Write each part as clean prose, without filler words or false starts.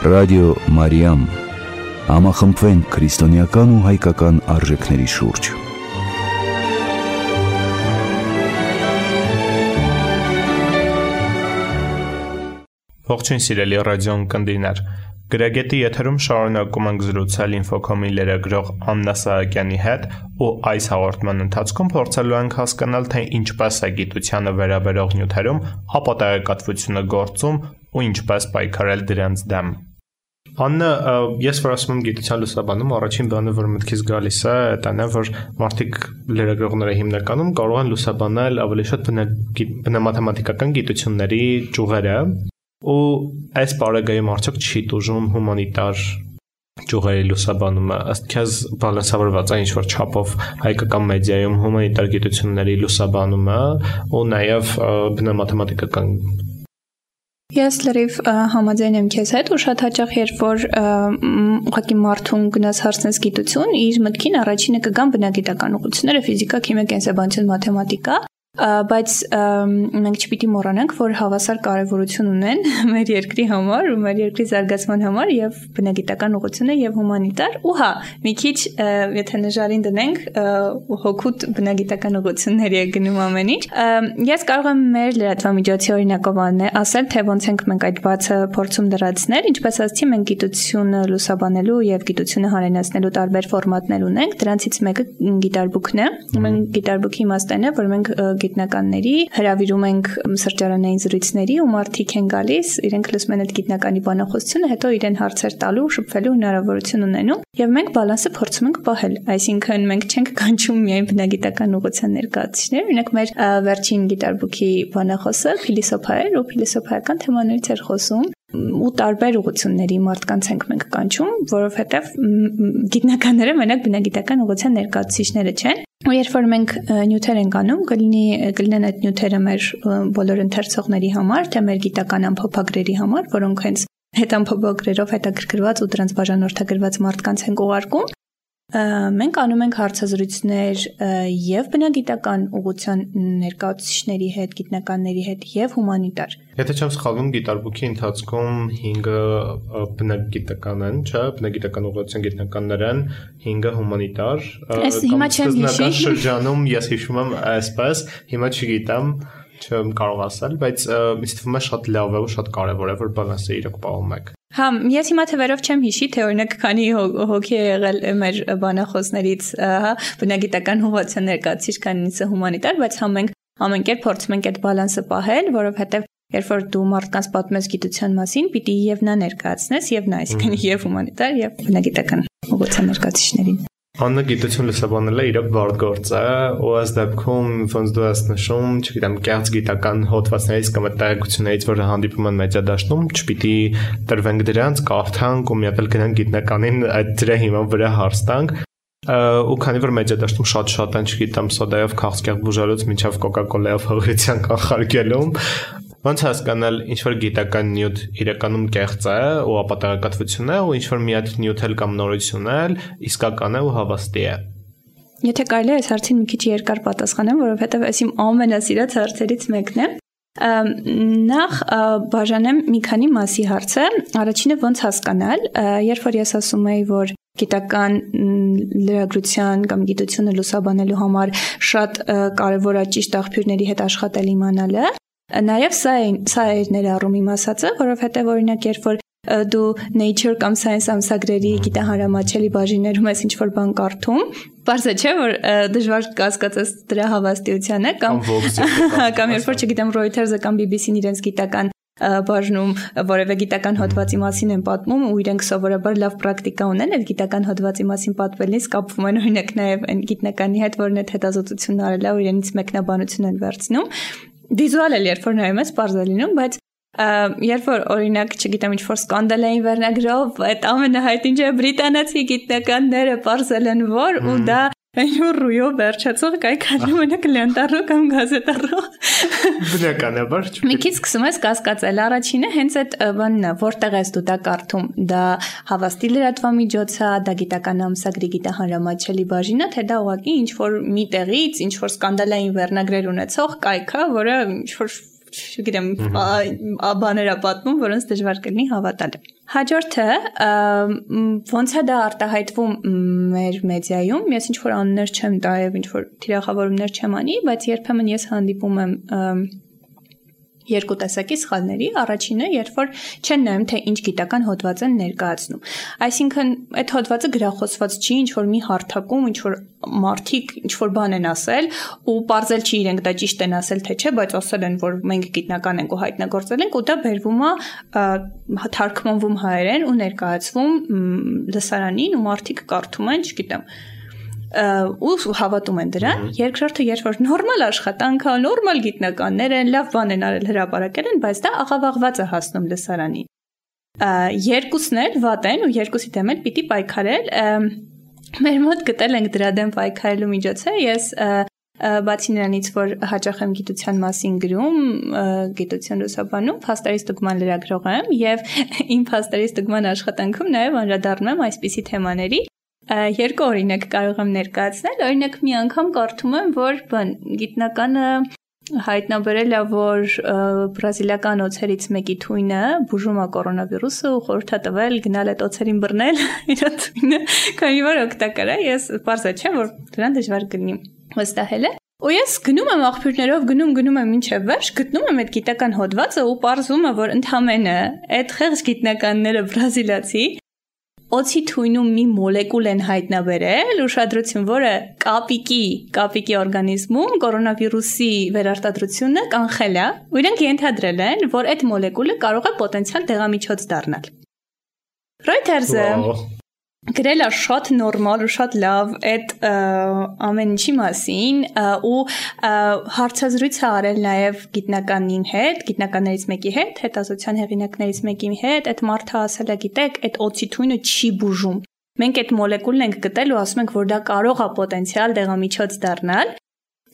Ռադիո Մարիամ, համախմբվենք քրիստոնեական ու հայկական արժեքների շուրջ։ Ողջույն սիրելի ռադիոն կնդիրներ, Գրագետի եթերում շարունակում ենք զրուցել Ինֆոքոմի լրագրող Աննա Սահակյանի հետ ու այս հաղորդման ընթացքում փորձելու ենք հասկանալ, թե ինչպես է գիտությանը վերաբերող նյութերում ապատեղեկատվությունը գործում ու ինչպես պայքարել դրանց դեմ։ Աննա, ես որ ասում եմ գիտության լուսաբանում, առաջին բանը, որ մտքից գալիս է, դա է, որ մարդիկ լրագրողները հիմնականում կարող են լուսաբանել ավելի շատ բնամաթեմատիկական գիտությունների ճյուղերը, ու այս բարեգայում արդյոք չի տուժում հումանիտար ճյուղերի լուսաբանումը, ըստ քեզ բալանսավորված է ինչ-որ չափով հայկական մեդիայում հումանիտար գիտությունների լուսաբանումը ու նաև բնամաթեմատիկական։ Ես լրիվ համաձայն եմ քեզ հետ ու շատ հաճախ երբ որ ուղղակի մարդուն գնաց հարցնես գիտություն, իր մտքին առաջինը կգան բնագիտական ուղղությունները, ֆիզիկա, քիմիա, կենսաբանություն, մաթեմատիկա, բայց մենք չպիտի մոռանանք, որ հավասար կարևորություն ունեն մեր երկրի համար ու մեր երկրի զարգացման համար եւ բնագիտական ուղղությունը եւ հումանիտար ու հա մի քիչ եթե նժարին դնենք հոգուտ բնագիտական ուղղությունների է գնում ամեն ինչ ես կարող եմ մեր լրատվամիջոցի օրինակով ասել թե ոնց ենք մենք այդ բացը փորձում դրացնել ինչպես ասացի մենք գիտությունը լուսաբանելու եւ գիտությունը հանրայնացնելու տարբեր ֆորմատներ ունենք դրանցից մեկը գիտարբուքն է մենք գիտարբուքի իմաստն է որ մենք գիտնականների հրավիրում ենք սրճարանային զրույցների ու մարդիկ են գալիս, իրենք լսում են այդ գիտնականի բանախոսությունը, հետո իրեն հարցեր տալու, շփվելու հնարավորություն ունենում, եւ մենք բալանսը փորձում ենք պահել, այսինքն մենք չենք կանչում միայն բնագիտական ուղղության ներկայացուցիչներ, օրինակ մեր վերջին գիտարբուքի բանախոսը փիլիսոփա էր ու փիլիսոփայական թեմաներից էր խոսում ու տարբեր ուղղությունների մարդկանց ենք մենք կանչում, որովհետև գիտնականները մենակ բնագիտական ուղղության ներկայացուցիչները չեն։ Ու երբ որ մենք նյութեր ենք անում, կլինեն այդ նյութերը մեր բոլոր ընթերցողների համար, թե մեր գիտական ամփոփագրերի համար, որոնք հենց հետամփոփագրերով հետաքրքրված ու դրանց բաժանորդագրված մարդկանց ենք ուղարկում, մենք անում ենք հարցազրույցներ եւ բնագիտական ուղղության ներկայացուցիչների հետ, գիտնականների հետ եւ հումանիտար։ Եթե չեմ սխալվում, գիտարբուքի ընթացքում 5-ը բնագիտական են, չէ՞, բնագիտական ուղղության գիտնականներ են, 5-ը հումանիտար։ Հիմա չեմ հիշի։ Շրջանում ես հիշում եմ այսպես, հիմա չգիտեմ, չեմ կարող ասել, բայց ինձ թվում է շատ լավ է ու շատ կարեւոր է, որ բալանսը իրոք պահում եք։ Հա, ես հիմա թվերով չեմ հիշի, թե օրինակ քանի հոգի է եղել մեր բանախոսներից, հա, բնագիտական ուղղության ներկայացուցիչ, քանիսը հումանիտար, բայց հա մենք ամեն կերպ փորձում ենք այդ բալանսը պահել, որովհետև երբ որ դու մարդկանց պատմես գիտության մասին, պիտի եւ նա ներկայացնես, եւ նա, այսինքն եւ հումանիտար, եւ բնագիտական ուղղության ներկայացուցիչներին։ Աննա գիտություն լուսաբանելը իրոք բարդ գործ է, ու այս դեպքում ոնց դու ես նշում, չգիտեմ, կեղծ գիտական հոդվածներից կամ տեղեկություններից, որը հանդիպում են մեդիադաշտում, չպիտի տրվենք դրանց, կարդանք ու մի հատ էլ գնանք գիտնականին այդ դրա հիման վրա հարց տանք, ու քանի որ մեդիադաշտում շատ են, չգիտեմ, սոդայով քաղցկեղ բուժալուց մինչև կոկա-կոլայով հղիության կանխարգելում, ոնց հասկանալ ինչ-որ գիտական նյութ իրականում կեղծ է ու ապատեղեկատվություն է ու ինչ-որ մի հատ նյութ էլ կամ նորություն է, իսկական է ու հավաստի է։ Եթե կարելի է այս հարցին մի քիչ երկար պատասխանեմ, որովհետև այս իմ ամենասիրած հարցերից մեկն է։ Նախ բաժանեմ մի քանի մասի հարցը։ Առաջինը ոնց հասկանալ, երբ որ ես ասում եի, որ գիտական լրագրության կամ գիտությունը լուսաբանելու համար շատ կարևոր է ճիշտ աղբյուրների հետ աշխատել իմանալը, նաև սա է ներառում իմ ասածը, որովհետև օրինակ երբ որ դու Nature կամ Science ամսագրերի գիտահանրամատչելի բաժիններում ես ինչ-որ բան կարդում, պարզ է չէ, որ դժվար կասկածես դրա հավաստիությանը կամ երբ որ չգիտեմ Reuters-ը կամ BBC-ն իրենց գիտական բաժնում որևէ գիտական հոդվածի մասին են պատմում ու իրենք սովորաբար լավ պրակտիկա ունեն այդ գիտական հոդվածի մասին պատվելիս կապվում են օրինակ նաև այն գիտնականի հետ, որն այդ հետազոտությունն արել է ու իրենից մեկնաբանություն են վերցնում վիզուալ էլ երբ որ նայում ես պարզ է լինում, բայց երբ որ օրինակ, չգիտեմ, ինչ-որ սկանդալային վերնագրով այդ ամենահայտնի չէ բրիտանացի գիտնականները պարզել են որ ու դա Ռույով վերջացող կայքարը մենակ լենտարո կամ գազետարո բնականաբար մի քիչ սկսում ես կասկածել առաջինը հենց այդ բանն է որտեղ ես դու դա կարդում դա հավաստի լրատվամիջոց է դա գիտական ամսագրի գիտահանրամատչելի բաժին է թե դա ուղղակի ինչ-որ մի տեղից ինչ-որ սկանդալային վերնագրեր ունեցող կայք է որը ինչ-որ չգիտեմ, բաներ է պատմում, որոնց դժվար կլինի հավատալ։ Հաջորդը ոնց է դա արտահայտվում մեր մեդիայում, ես ինչ որ անուններ չեմ տա եւ ինչ որ թիրախավորումներ չեմ անի, բայց երբեմն ես հանդիպում եմ երկու տեսակի սխալների, առաջինը, երբ որ չեն նայում, թե ինչ գիտական հոդված են ներկայացնում։ Այսինքն, այդ հոդվածը գրախոսված չի, ինչ որ մի հարթակում, ինչ որ մարդիկ ինչ որ բան են ասել, ու պարզել չի իրենք դա ճիշտ են ասել, թե չէ, բայց ասել են, որ մենք գիտնական ենք ու հայտնագործել ենք, ու դա բերվում է թարգմանվում հայերեն ու ներկայացվում լսարանին, ու մարդիկ կարդում են, չգիտեմ, ու հավատում են դրան։ Երկրորդը, երբ որ նորմալ աշխատանք, նորմալ գիտնականներ են, լավ բան են արել, հրապարակել են, բայց դա աղավաղված է հասնում լսարանին։ Երկուսն էլ վատ են ու երկուսի դեմ էլ պիտի պայքարել։ Մեր մոտ գտել ենք դրա դեմ պայքարելու միջոցը։ Ես բացի նրանից, որ հաճախ եմ գիտության մասին գրում, գիտություն լուսաբանում, փաստերի ստուգման լրագրող եմ եւ իմ փաստերի ստուգման աշխատանքում նաեւ անդրադառնում եմ այսպիսի թեմաների։ Երկու օրինակ կարող եմ ներկայացնել, օրինակ մի անգամ կարդում եմ, որ գիտնականը հայտնաբերել է, որ բրազիլիական օձերից մեկի թույնը բուժում է կորոնավիրուսը ու խորհուրդ է տվել գնալ այդ օձերին բռնել իր թույնը, քանի որ օգտակար է, ես պարզ չեմ, որ դրան դժվար կլինի վստահելը։ Ու ես գնում եմ աղբյուրներով, գնում եմ մինչև վերջ, գտնում եմ այդ գիտական հոդվածը ու պարզում է, որ ընդհանրապես այդ խեղճ գիտնականները բրազիլացի օձի թույնում մի մոլեկուլ են հայտնաբերել, ուշադրություն, որը կապիկի օրգանիզմում կորոնավիրուսի վերարտադրությունը կանխել է, ու իրենք ենթադրել են, որ այդ մոլեկուլը կարող է պոտենցիալ դեղամիջոց դառնալ։ Reuters-ը գրել է շատ նորմալ ու շատ լավ այդ ամեն ինչի մասին ու հարցազրույց է արել նաև գիտնականներից մեկի հետ, հետազոտության հեղինակներից մեկի հետ, այդ մարդը ասել է, գիտեք, այդ օձի թույնը չի բուժում։ Մենք այդ մոլեկուլն ենք գտել ու ասում ենք, որ դա կարող է պոտենցիալ դեղամիջոց դառնալ։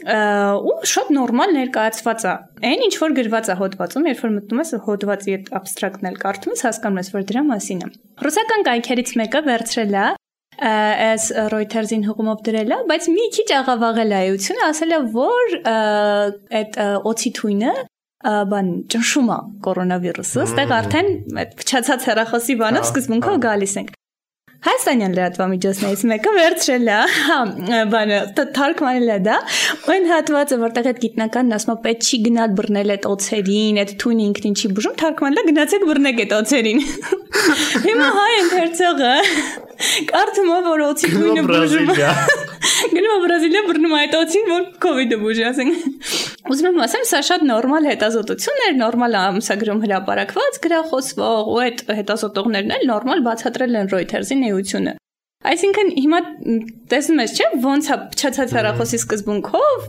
Ու շատ նորմալ ներկայացված է։ Այն ինչ որ գրված է հոդվածում, երբ որ մտնում ես հոդվածի այդ абստրակտն էլ կարդում ես, հասկանում ես, որ դրա մասին է։ Ռուսական կայքերից մեկը վերցրել է այս Reuters-ին հղումով դրել է, բայց մի քիչ աղավաղել է էությունը, ասել է, որ այդ օձի թույնը ճնշում է կորոնավիրուսը, այստեղ արդեն այդ փչացած հեռախոսի բանով սկզբունքով գալիս ենք։ Հայաստանյան լրատվամիջոցներից մեկը վերցրել է, թարգմանել է դա, ու այն հատվածը, որտեղ այդ գիտնականն ասում է, պետք չի գնալ բռնել այդ օձերին, այդ թույնը ինքնին չի բուժում, թարգմանել է, գնացեք բռնեք այդ օձերին։ Հիմա հայ ընթերցողը կարդում է, որ օձի թույնը բուժում է։ Գնում է Բրազիլիա, բռնում է այդ օձին, որ COVID-ը բուժի, ասենք։ Ուզում եմ ասեմ, սա շատ նորմալ հետազոտություն էր, նորմալ ամսագրում հրապարակված, գրախոսվող, ու այդ հետազոտողներն էլ նորմալ բացատրել են Reuters-ի նեությունը։ Այսինքն հիմա տեսնում ես, չէ՞, ոնց է փչացած հեռախոսի սկզբունքով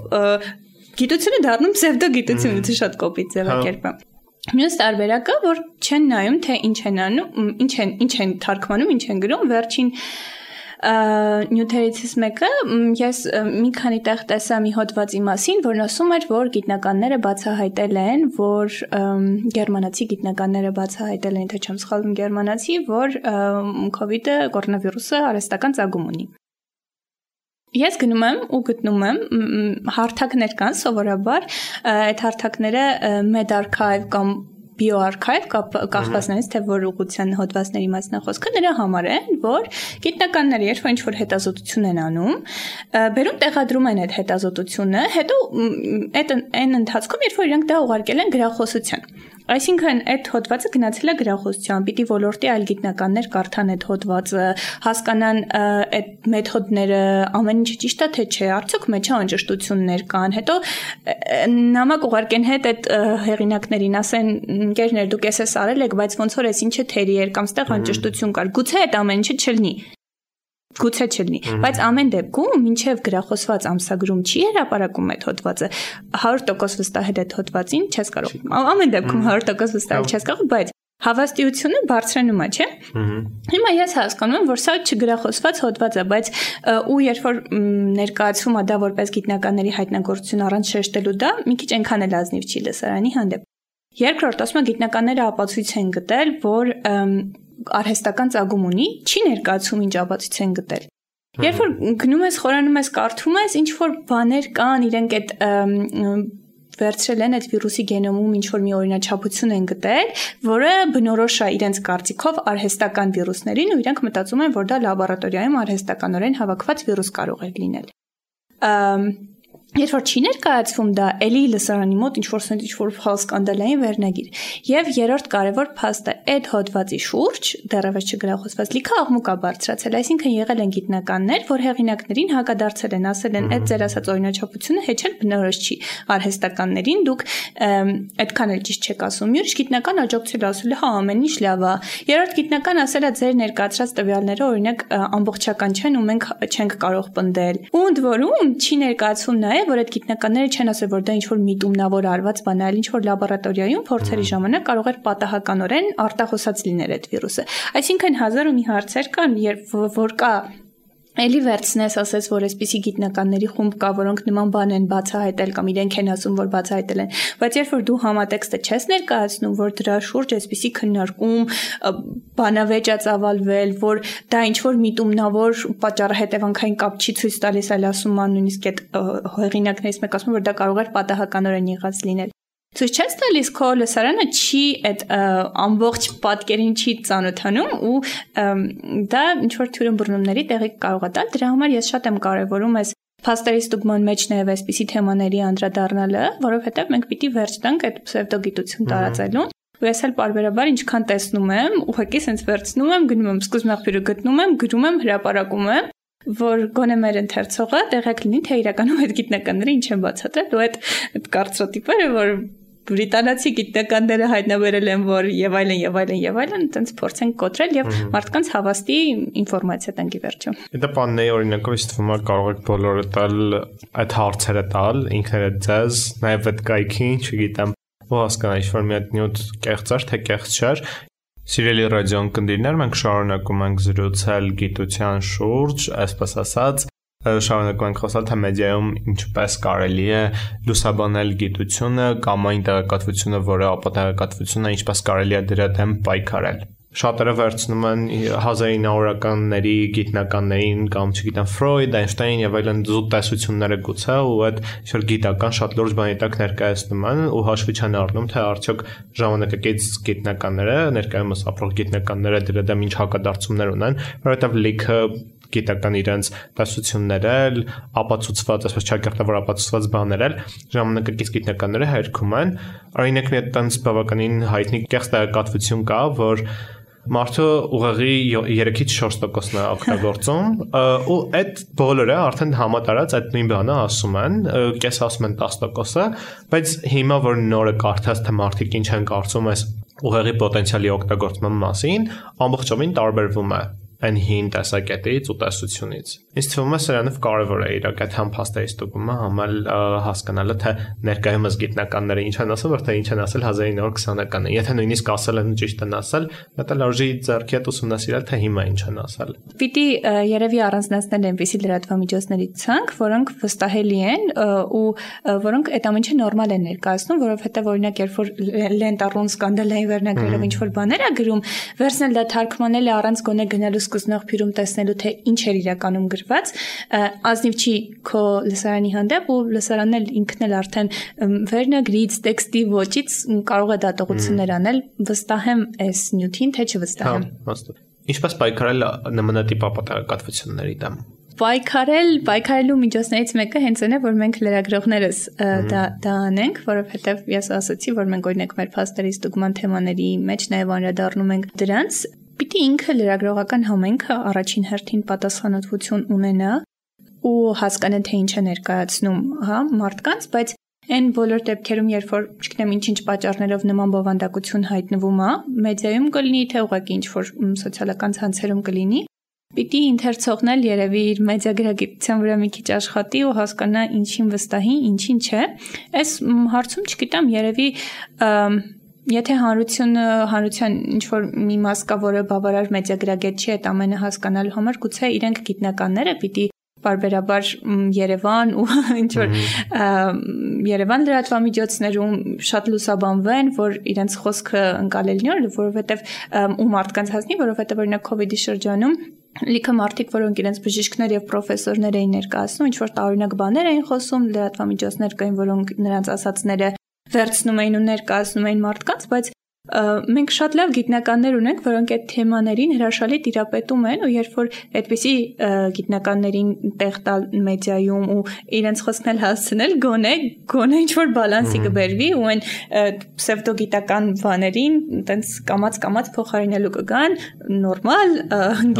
գիտությունը դառնում պսևդոգիտություն, դա շատ կոպիտ ձևակերպ է։ Մյուս տարբերակը, որ չեն նայում, թե ինչ են անում, ինչ են թարգմանում, ինչ են գրում, վերջին նյութերից մեկը ես մի քանի տեղ տեսա մի հոդվածի մասին, որն ասում էր, որ գիտնականները բացահայտել են, որ գերմանացի գիտնականները բացահայտել են, թե չեմ սխալվում գերմանացի, որ COVID-ը, կորոնավիրուսը արհեստական ծագում ունի։ Ես գնում եմ ու գտնում եմ հարթակներ կան սովորաբար, այդ հարթակները MedArchive կամ BioArchive կախվածներից թե որ ուղղության հոդվածների մասն է խոսքը նրա համար է, որ գիտնականները երբ որ ինչ-որ հետազոտություն են անում, բերում տեղադրում են այդ հետազոտությունը, հետո այն ընթացքում երբ որ իրենք դա ուղարկել են գրախոսության։ Այսինքն այդ հոդվածը գնացել է գրախոսության, պիտի ոլորտի այլ գիտնականներ կարդան այդ հոդվածը, հասկանան այդ մեթոդները, ամեն ինչը ճիշտ է թե չէ, արդյոք մեջ անճշտություններ կան, հետո նամակ ուղարկեն հետ այդ հեղինակներին, ասեն ընկերներ դուք էս արել եք, բայց ոնց որ էս ինչը թերի էր կամ ստեղ անճշտություն կար, գուցե այդ ամեն ինչը չլինի։ Գուցե չլինի, բայց ամեն դեպքում մինչև գրախոսված ամսագրում չի հրապարակում այդ հոդվածը 100% վստահել այդ հոդվածին չես կարող։ Ամեն դեպքում 100% վստահել չես կարող, բայց հավաստիությունը բարձրանում է, չէ՞։ Հիմա ես հասկանում եմ, որ սա չգրախոսված հոդված է, բայց ու երբ որ ներկայացվում է դա որպես գիտնականների հայտնագործություն առանց շեշտելու դա, մի քիչ այնքան էլ ազնիվ չի լսարանի հանդեպ։ Երկրորդ, ասում եմ գիտնականները ապացույց են գտել, որ արհեստական ծագում ունի, չի ներկայացում ինչ ապացույց են գտել։ Երբ որ գնում ես, խորանում ես, կարդում ես, ինչ որ բաներ կան, իրենք այդ վերցրել են այդ վիրուսի գենոմում ինչ-որ մի օրինաչափություն են գտել, որը բնորոշ է իրենց կարծիքով արհեստական վիրուսներին ու իրենք մտածում են, որ դա լաբորատորիայում արհեստականորեն հավաքված վիրուս կարող է լինել։ Երբ որ չի ներկայացվում դա, էլի լսարանի մոտ ինչ-որ սկանդալային վերնագիր։ Եվ երրորդ կարևոր փաստը այդ հոդվածի շուրջ դեռևս չգրախոսված լիքը աղմուկ է բարձրացել, այսինքն եղել են գիտնականներ, որ հեղինակներին հակադարձել են, ասել են, այդ ձեր ասած օրինաչափությունը հեչել բնորոշ չի արհեստականներին, դուք այդքան էլ ճիշտ չեք ասում։ Ուրիշ գիտնական աջակցել ասել է, հա, ամեն ինչ լավ է։ Երրորդ գիտնական ասել է, ձեր ներկայացրած տվյալները օրինակ ամբողջական չեն ու մենք չենք կարող պնդել։ Ու ընդ որում չի ներկայացվում նաև որ այդ գիտնականները չեն ասել, որ դա ինչ-որ միտումնավոր արված բան է, այլ ինչ-որ լաբորատորիայում փորձերի ժամանակ կարող էր պատահականորեն արտահոսած լինել այդ վիրուսը։ Այսինքն հազար ու մի հարցեր կան, որ կա Էլի վերցնես ասես, որ այսպիսի գիտնականների խումբ կա, որոնք նման բան են բացահայտել կամ իրենք են ասում, որ բացահայտել են, բայց երբ որ դու համատեքստը չես ներկայացնում, որ դրա շուրջ այսպիսի քննարկում, բանավեճ է ծավալվել, որ դա ինչ-որ միտումնավոր պատճառը հետևանքային կապ չի ցույց տալիս, այլ ասում ան նույնիսկ այդ հեղինակներից մեկը ասում, որ դա կարող է պատահականորեն եղած լինել։ Ցույց չես տալիս քո լսարանը չի այդ ամբողջ պատկերին չի ծանոթանում ու դա ինչ-որ թյուրըմբռնումների տեղի կարող է տալ։ Դրա համար ես շատ եմ կարևորում այս փաստերի ստուգման մեջ նաև այսպիսի թեմաների անդրադառնալը, որովհետև մենք պիտի վերջ տանք այդ պսևդոգիտություն տարածելուն։ Ու ես էլ պարբերաբար ինչքան տեսնում եմ, ուղղակի sense վերցնում եմ, գնում եմ սկզբն աղբյուրը գտնում եմ, գրում եմ, հրապարակում եմ, որ գոնե մեր ընթերցողը տեղյակ լինի, թե իրականում այդ գիտնականները ինչ են բացատրել, ու այդ կարծրատիպերը, որ բրիտանացի գիտնականները հայտնաբերել են, որ եւ այլն, այտենց փորձենք կոտրել եւ մարդկանց հավաստի ինֆորմացիա տանքի վերջո։ Դա բանն է օրինակով իսկ թվում է կարող եք բոլորը տալ այդ հարցերը տալ, ինքներդ ձեզ, նաեւ այդ կայքին, չգիտեմ, ու հասկանալ ինչ-որ մի հատ նյութ կեղծար, թե կեղծ չէր։ Սիրելի ռադիոն կնդիրներ, մենք շարունակում ենք զրուցել գիտության շուրջ, այսպես ասած, շարունակում ենք խոսալ թե մեդիայում ինչպես կարելի է լուսաբանել գիտությունը կամ այն տեղեկատվությունը, որը ապատեղեկատվություն է, ինչպես կարելի է դրա դեմ պայքարել։ Շատերը վերցնում են 1900-ականների գիտնականներին կամ չգիտեմ Ֆրոյդ, Այնշտայն եւ այլն զուտ տեսությունները գուցե ու այդ ինչ-որ գիտական շատ լուրջ բանի տակ ներկայացնում են ու հաշվի չեն առնում թե արդյոք ժամանակակից գիտնականները, ներկայումս ապրող գիտնականները դրա դեմ ինչ հակադարձումներ ունեն, որովհետեւ լիքը գիտական իրենց տեսությունները, ապացուցված, այսպես չակերտավոր ապացուցված բաներ ժամանակակից գիտնականները հերքում են։ Օրինակն այդտենց բավականին հայտնի կեղծ տեղեկատվություն կա, որ մարդը ուղղի 3-ից 4%-ն է օգտագործում ու այդ բոլորը արդեն համատարած այդ նույն բանը ասում են, կես ասում են 10%-ը, բայց հիմա որ նորը կարդաց թե մարդիկ ինչ են կարծում այս ուղղի պոտենցիալի օգտագործման մասին, ամբողջովին տարբերվում է այն հին տեսակետից ու տեսությունից։ Ինձ թվում է սրանով կարևոր է իրականում փաստերի ստուգումը համալ հասկանալը թե ներկայումս գիտնականները ինչ են ասում, որտեղ ինչ են ասել 1920-ականներին։ Եթե նույնիսկ ասել են ճիշտ են ասել, դա լարժի ձեռքի հետ ուսումնասիրել թե հիմա ինչ են ասել։ Պիտի երևի առանձնացնել այնպիսի լրատվամիջոցների ցանկ, որոնք վստահելի են ու որոնք այդ ամենը նորմալ են ներկայացնում, որովհետև օրինակ երբ որ լենտառուն սկանդալային վերնագրերով ինչ-որ բաներ է գրում, վերցնել դա թարգմանել է առանց գոնե գնալու սկզբնաղբյուրում տեսնելու թե ինչ էր իրականում գրված, ազնիվ չի քո լսարանի հանդեպ ու լսարանն էլ ինքն էլ արդեն վերնագրից, տեքստի ոճից կարող է դատողություններ անել, վստահեմ այս նյութին, թե չվստահեմ։ Ինչպես պայքարել նմանատիպ ապատեղեկատվությունների դեմ։ Պայքարելու միջոցներից մեկը հենց այն է, որ մենք լրագրողներս դա անենք, որովհետև ես ասացի, որ մենք օրինակ մեր փաստերի ստուգման թեմաների մեջ նաև անդրադառնում ենք դրանց, պիտի ինքը լրագրողական համայնքը առաջին հերթին պատասխանատվություն ունենա ու հասկանա թե ինչ է ներկայացնում, հա, մարդկանց, բայց այն բոլոր դեպքերում, երբ որ, չգիտեմ, ինչ-ինչ պատճառներով նման բովանդակություն հայտնվում է, մեդիայում կլինի, թե ուղղակի ինչ-որ սոցիալական ցանցերում կլինի, պիտի ընթերցողն էլ երևի իր մեդիագրագիտության վրա մի քիչ աշխատի ու հասկանա ինչին վստահի, ինչին չէ։ Այս հարցում չգիտեմ, երևի եթե հանրության ինչ-որ մի մաս կա, որը բավարար մեդիագրագետ չի այդ ամենը հասկանալու համար, գուցե իրենք գիտնականները պիտի բարբերաբար Երևան ու ինչ-որ Երևան լրատվամիջոցներում շատ լուսաբանվեն, որ իրենց խոսքը ընկալելնի, որովհետև ու մարդկանց հասնի, որովհետև օրինակ COVID-ի շրջանում լիքը մարդիկ, որոնք իրենց բժիշկներ եւ պրոֆեսորներ էին ներկայացնում, ինչ որ տարօրինակ բաներ էին խոսում, լրատվամիջոցներ կային, որոնք նրանց ասածները վերցնում էին ու ներկայացնում էին մարդկանց, բայց մենք շատ լավ գիտնականներ ունենք, որոնք այդ թեմաներին հրաշալի տիրապետում են ու երբ որ այդպիսի գիտնականներին տեղ տալ մեդիայում ու իրենց խոսքն էլ հասցնել, գոնե ինչ որ բալանսի կբերվի ու այն պսևդոգիտական բաներին այտենց կամած փոխարինելու կգան նորմալ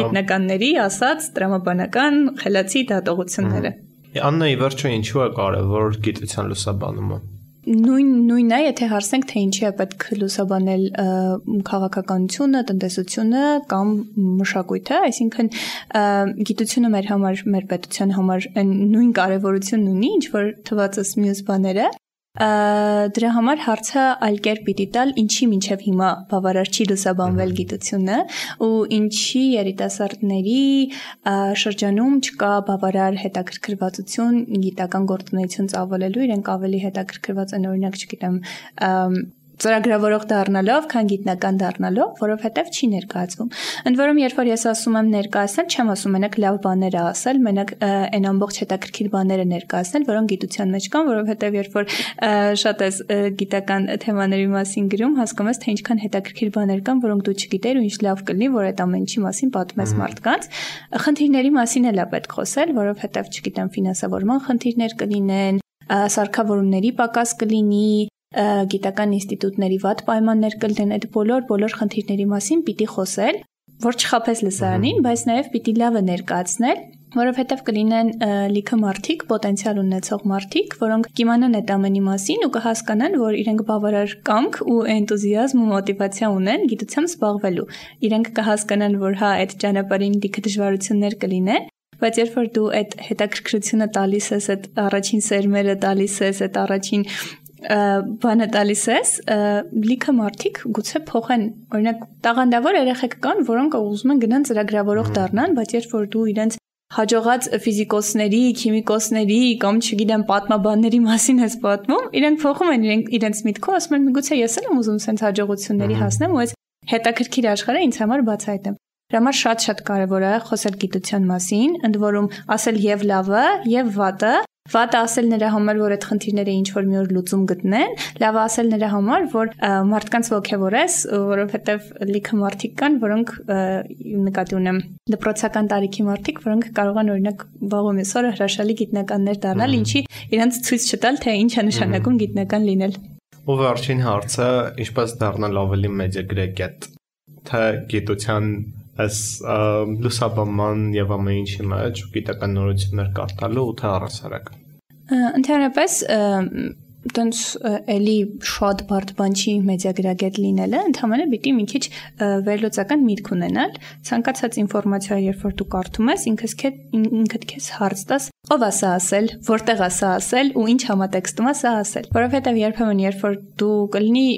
գիտնականների ասած տրամաբանական խելացի դատողությունները։ Աննայի վերջո ինչու է կարևոր գիտության լուսաբանումը։ Նույնն է, եթե հարցնենք, թե ինչի է պետք լուսաբանել քաղաքականությունը, տնտեսությունը կամ մշակույթը, այսինքն գիտությունը մեր համար, մեր պետության համար նույն կարևորությունն ունի, ինչ որ թվացս մյուս բաները, դրա համար հարցը այլ կերպ պիտի տալ, ինչի մինչև հիմա բավարար չի լուսաբանվել գիտությունը ու ինչի երիտասարդների շրջանում չկա բավարար հետաքրքրվածություն գիտական գործունեություն ծավալելու, իրենք ավելի հետաքրքրված են օրինակ, չգիտեմ, ծրագրավորող դառնալով, քան գիտնական դառնալով, որովհետև չի ներկայացվում։ Ընդ որում, երբ որ ես ասում եմ ներկայացնել, չեմ ասում մենակ լավ բաներ ասել, մենակ այն ամբողջ հետաքրքիր բաները ներկայացնել, որոնք գիտության մեջ կան, որովհետև երբ որ շատ ես գիտական թեմաների մասին գրում, հասկանում ես, թե ինչքան հետաքրքիր բաներ կան, որոնք դու չգիտեր ու ինչ լավ կլինի, որ այդ ամեն ինչի մասին պատմես մարդկանց։ Խնդիրների մասին էլ է պետք խոսել, որովհետև, չգիտեմ, ֆինանսավորման խնդիրներ կլինեն, սարքավորումների պակաս կլինի, գիտական ինստիտուտների վատ պայմաններ կլինեն, այդ բոլոր խնդիրների մասին պիտի խոսել, որ չխաբես լսարանին, բայց նաև պիտի լավը ներկայացնել, որովհետև կլինեն լիքը մարդիկ, պոտենցիալ ունեցող մարդիկ, որոնք կիմանան այդ ամենի մասին ու կհասկանան, որ իրենք բավարար կամք ու էնտուզիազմ ու մոտիվացիա ունեն գիտությամբ զբաղվելու։ Իրենք կհասկանան, որ հա, այդ ճանապարհին լիքը դժվարություններ կլինեն, բայց երբ որ դու այդ հետաքրքրությունը տալիս ես, այդ առաջին սերմերը տալիս ես, այդ առաջին բանը տալիս ես, լիքը մարդիկ գուցե փոխեն, օրինակ տաղանդավոր երեխեք կան, որոնք ուզում են գնան ծրագրավորող դառնան, բայց երբ որ դու իրենց հաջողած ֆիզիկոսների, քիմիկոսների կամ չգիտեմ պատմաբանների մասին ես պատմում, իրենք փոխում են իրենց միտքը, ասում են միգուցե ես էլ եմ ուզում sense հաջողությունների հասնեմ ու այս հետաքրքիր աշխարհը ինձ համար բացահայտեմ։ Դրա համար շատ կարևոր է խոսել գիտության մասին, ընդ որում ասել եւ լավը, եւ վատը, վատը ասել նրա համար, որ այդ խնդիրները ինչ որ մի օր լուծում գտնեն, լավը ասել նրա համար, որ մարդկանց ոգևորես, որովհետև լիքը մարդիկ կան, որոնք նկատի ունեմ դպրոցական տարիքի մարդիկ, որոնք կարող են օրինակ վաղ մեսօրը հրաշալի գիտնականներ դառնալ, ինչի իրենց ցույց չտալ, թե ինչ է նշանակում գիտնական լինել։ Ու վերջին հարցը, ինչպես դառնալ ավելի մեծագրեկետ, թե գիտության այս լուսաբանման եւ ամեն ինչի մեջ գիտական նորություններ կարդալու ու թե առասարակ։ Ընդհանրապես տենց էլի շատ բարդ բան չի մեդիագրագետ լինելը, ընդհանրապես պիտի մի քիչ վերլուծական միտք ունենալ, ցանկացած ինֆորմացիա, երբ որ դու կարդում ես, ինքդ քեզ հարց տաս, ով է սա ասել, որտեղ է սա ասել ու ինչ համատեքստում է սա ասել, որովհետեւ երբեմն երբ որ դու կլինի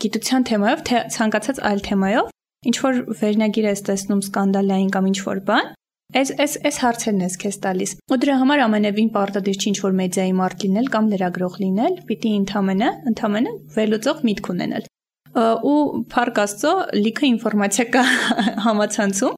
գիտության թեմայով, թե ցանկացած այլ թեմայով ինչ որ վերնագիր ես տեսնում սկանդալային կամ ինչ որ բան, այս հարցերն ես քեզ տալիս։ Ու դրա համար ամենևին պարտադիր չի ինչ որ մեդիայի մարդ լինել կամ լրագրող լինել, պիտի ընդամենը վերլուծող միտք ունենալ։ Ու փառք Աստծո, լիքը ինֆորմացիա կա համացանցում,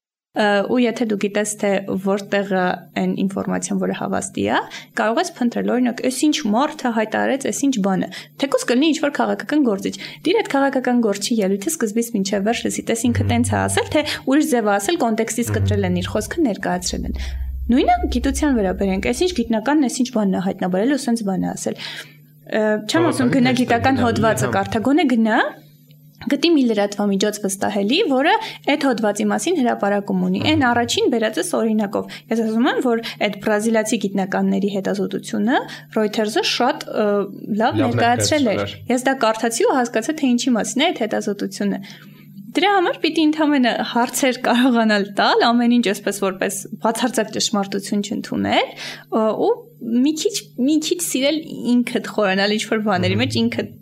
ու եթե դու գիտես, թե որտեղ է այն ինֆորմացիան, որը հավաստի է, կարող ես փնտրել, օրինակ, այս ինչ մարդը հայտարարեց, այս ինչ բանը, թեկուզ կլինի ինչ որ քաղաքական գործիչ։ Դիր այդ քաղաքական գործի ելույթը սկզբից մինչև վերջ լսի, տես ինքը տենց է ասել, թե ուրիշ ձև է ասել, կոնտեքստից կտրել են իր խոսքը, ներկայացրել են։ Նույնը գիտության վերաբերենք, այս ինչ գիտնականն, այս ինչ բանն է հայտնաբերել ու սենց բան է ասել։ Չեմ ասում գնա գիտական հոդվածը կարդա, գոնե գնա գտի մի լրատվամիջոց վստահելի, որը այդ հոդվածի մասին հրապարակում ունի։ Այն առաջին բերածս օրինակով։ Ես ասում եմ, որ այդ բրազիլացի գիտնականների հետազոտությունը Reuters-ը շատ լավ ներկայացրել էր։ Ես դա կարդացի ու հասկացա, թե ինչի մասին է այդ հետազոտությունը։ Դրա համար պիտի ընդհանրապես հարցեր կարողանալ տալ, ամեն ինչ այսպես որպես բացարձակ ճշմարտություն չընդունել, ու մի քիչ սիրել ինքդ խորանալ ինչ որ բաների մեջ, ինքդ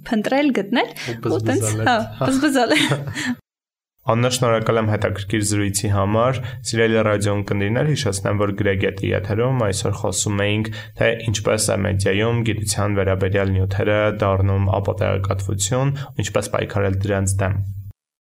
փնտրել, գտնել ու տենց, բզբզալ։ Աննա, շնորհակալ եմ հետաքրքիր զրույցի համար։ Սիրելի ռադիո ընկերներ, հիշեցնեմ, որ Գրեգետի եթերում այսօր խոսում էինք, թե ինչպես է մեդիայում գիտության վերաբերյալ նյութերը դառնում ապատեղեկատվություն, ինչպես պայքարել դրանց դեմ։